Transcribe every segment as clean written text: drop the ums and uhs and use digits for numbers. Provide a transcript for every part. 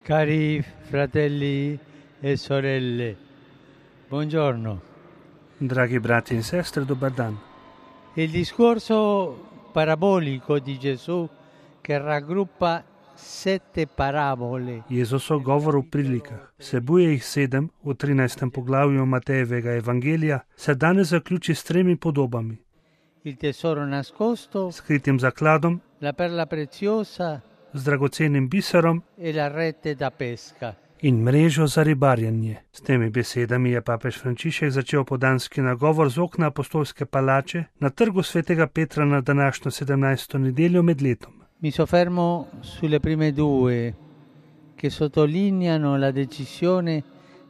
Cari fratelli e sorelle, buongiorno. Dragi brati in sestre, dobar dan. Il discorso parabolico di Gesù che raggruppa 7 parabole. Jezusov govor v prilikah, vsebuje jih 7 v 13. poglavju Matejevega evangelija, se danes zaključi s 3 podobami. Il tesoro nascosto, Skritim zakladom, la perla preziosa z dragocenim biserom e la rete da pesca. in mrežo za ribarjenje. S temi besedami je papež Frančišek začel podanski nagovor z okna apostolske palače na trgu svetega Petra na današnjo 17. nedeljo med letom. Mi soffermo sulle prime due che sottolineano la decisione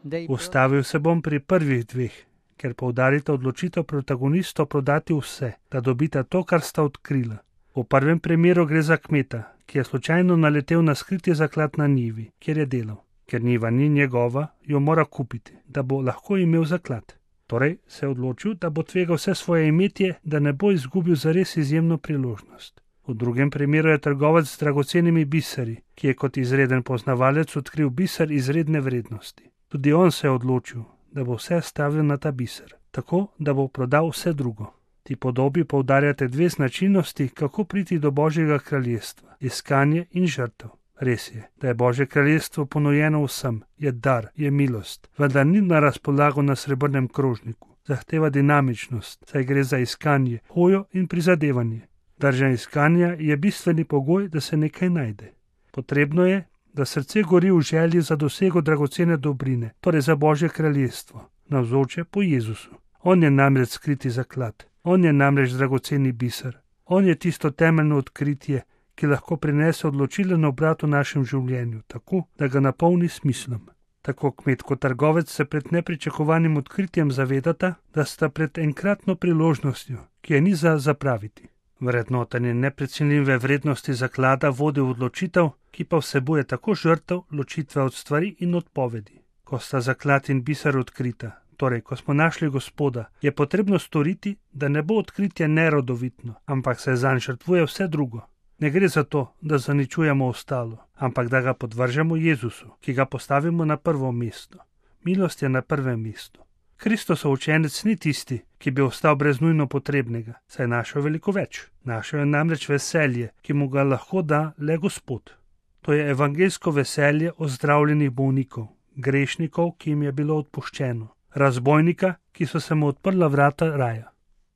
dei Ustavil se bom pri prvih 2, ker poudarita odločitev protagonistov prodati vse, da dobita to, kar sta odkrila. V prvem primeru gre za kmeta, ki je slučajno naletel na skriti zaklad na njivi, kjer je delal. Ker njiva ni njegova, jo mora kupiti, da bo lahko imel zaklad. Torej se je odločil, da bo tvegal vse svoje imetje, da ne bo izgubil zares izjemno priložnost. V drugem primeru je trgovec z dragocenimi biseri, ki je kot izreden poznavalec odkril biser izredne vrednosti. Tudi on se je odločil, da bo vse stavil na ta biser, tako da bo prodal vse drugo. Ti podobi poudarjate 2 značilnosti, kako priti do Božjega kraljestva: iskanje in žrtev. Res je, da je Božje kraljestvo ponujeno vsem, je dar, je milost, vendar ni na razpolago na srebrnem krožniku. Zahteva dinamičnost, saj gre za iskanje, hojo in prizadevanje. Drža iskanja je bistveni pogoj, da se nekaj najde. Potrebno je, da srce gori v želji za dosego dragocene dobrine, torej za Božje kraljestvo, navzoče po Jezusu. On je namreč skriti zaklad, on je namreč dragoceni biser, on je tisto temeljno odkritje, ki lahko prinese odločilen obrat v našem življenju, tako da ga napolni smislom. Tako kmet kot trgovec se pred nepričakovanim odkritjem zavedata, da sta pred enkratno priložnostjo, ki je ni za zapraviti. Vrednotenje neprecenljive vrednosti zaklada vodi v odločitev, ki pa vsebuje tako žrtev, ločitve od stvari in odpovedi. Ko sta zaklad in biser odkrita, torej ko smo našli Gospoda, je potrebno storiti, da ne bo odkritje nerodovitno, ampak se zanj žrtvuje vse drugo. Ne gre za to, da zaničujemo ostalo, ampak da ga podvržemo Jezusu, ki ga postavimo na prvo mesto. Milost je na prvem mestu. Kristusov učenec ni tisti, ki bi ostal brez nujno potrebnega, saj je našel veliko več. Našel je namreč veselje, ki mu ga lahko da le Gospod. To je evangeljsko veselje ozdravljenih bolnikov, grešnikov, ki jim je bilo odpuščeno, razbojnika, ki so se mu odprla vrata raja.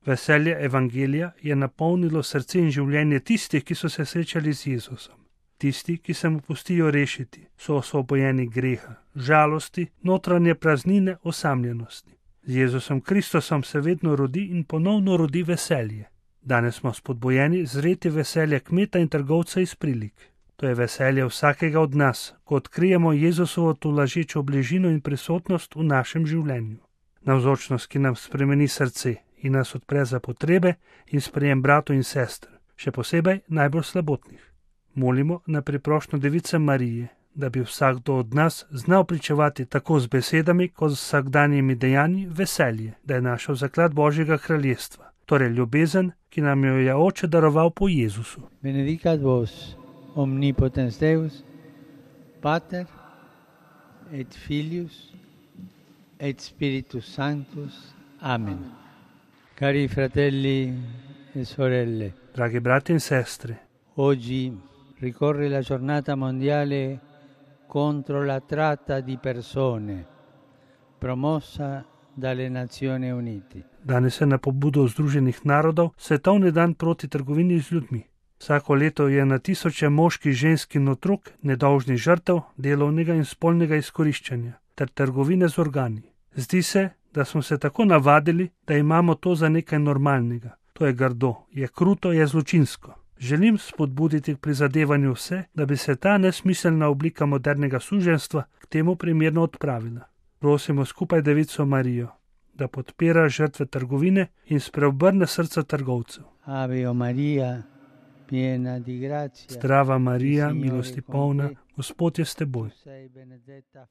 Veselje evangelija je napolnilo srce in življenje tistih, ki so se srečali z Jezusom. Tisti, ki se mu pustijo rešiti, so osvobojeni greha, žalosti, notranje praznine, osamljenosti. Z Jezusom Kristusom se vedno rodi in ponovno rodi veselje. Danes smo spodbojeni zreti veselje kmeta in trgovca iz prilik. To je veselje vsakega od nas, ko odkrijemo Jezusovo tolažečo bližino in prisotnost v našem življenju. Navzočnost, ki nam spremeni srce in nas odpre za potrebe in sprejem bratov in sester, še posebej najbolj slabotnih. Molimo na priprošnjo Device Marije, da bi vsakdo od nas znal pričevati tako z besedami kot z vsakdanjimi dejanji veselje, da je našel zaklad Božjega kraljestva, torej ljubezen, ki nam jo je Oče daroval po Jezusu. Benedicat vos omnipotens Deus, Pater et Filius et Spiritus Sanctus. Amen. Cari fratelli e sorelle, Dragi brati in sestre, oggi ricorre la giornata mondiale contro la tratta di persone, promossa dalle Nazioni Unite. danes je na pobudo Združenih narodov svetovni dan proti trgovini z ljudmi. Vsako leto je na tisoče moških, žensk in otrok nedolžnih žrtev delovnega in spolnega izkoriščanja ter trgovine z organi. Zdi se, da smo se tako navadili, da imamo to za nekaj normalnega. To je grdo, je kruto, je zločinsko. Želim spodbuditi k prizadevanju vse, da bi se ta nesmiselna oblika modernega suženjstva k temu primerno odpravila. Prosimo skupaj Devico Marijo, da podpira žrtve trgovine in spreobrne srca trgovcev. Ave Maria, piena di grazia. Zdrava Marija, milosti polna, Gospod je s teboj. Sei benedetta